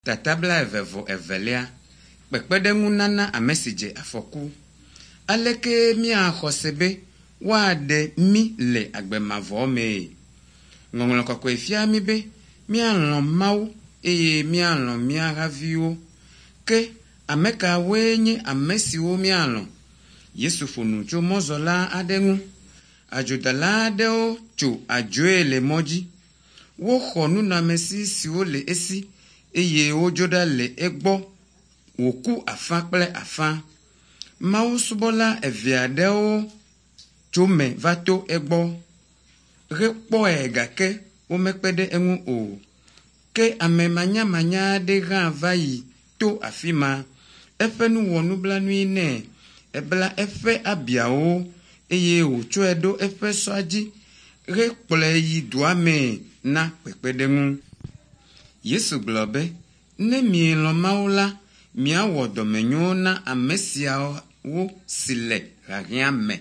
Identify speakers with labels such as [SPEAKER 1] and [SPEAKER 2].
[SPEAKER 1] Tata 22 Kpekpeɖeŋunana ame si dze afɔku. Aleke míaxɔ se be woaɖe mí le agbe mavɔ mee? Ŋɔŋlɔ kɔkɔe fia mí be míalɔ̃ Mawu eye míalɔ̃ mía haviwo. Ke ame kawoe nye ame siwo míalɔ̃? Yesu ƒo nu tso mɔzɔla aɖe ŋu. Adzodala aɖewo tso adzoe le mɔ dzi. Woxɔ nunɔamesi siwo le esi eye wodzo ɖa le egbɔ wòku afã kple afã. Mawusubɔla evea ɖewo tso eme va to egbɔ hekpɔe gake womekpe ɖe eŋu o. Ke ame manyamanya aɖe hã va yi to afi ma. Eƒe nu wɔ nublanui nɛ. Ebla eƒe abiawo eye wòtsɔe ɖo eƒe sɔa dzi hekplɔe yi dua mee na kpekpeɖeŋu. Yesu gblɔ be, ne mielɔ̃ Mawu la, miawɔ dɔmenyo na ame siawo si le hiahiã me.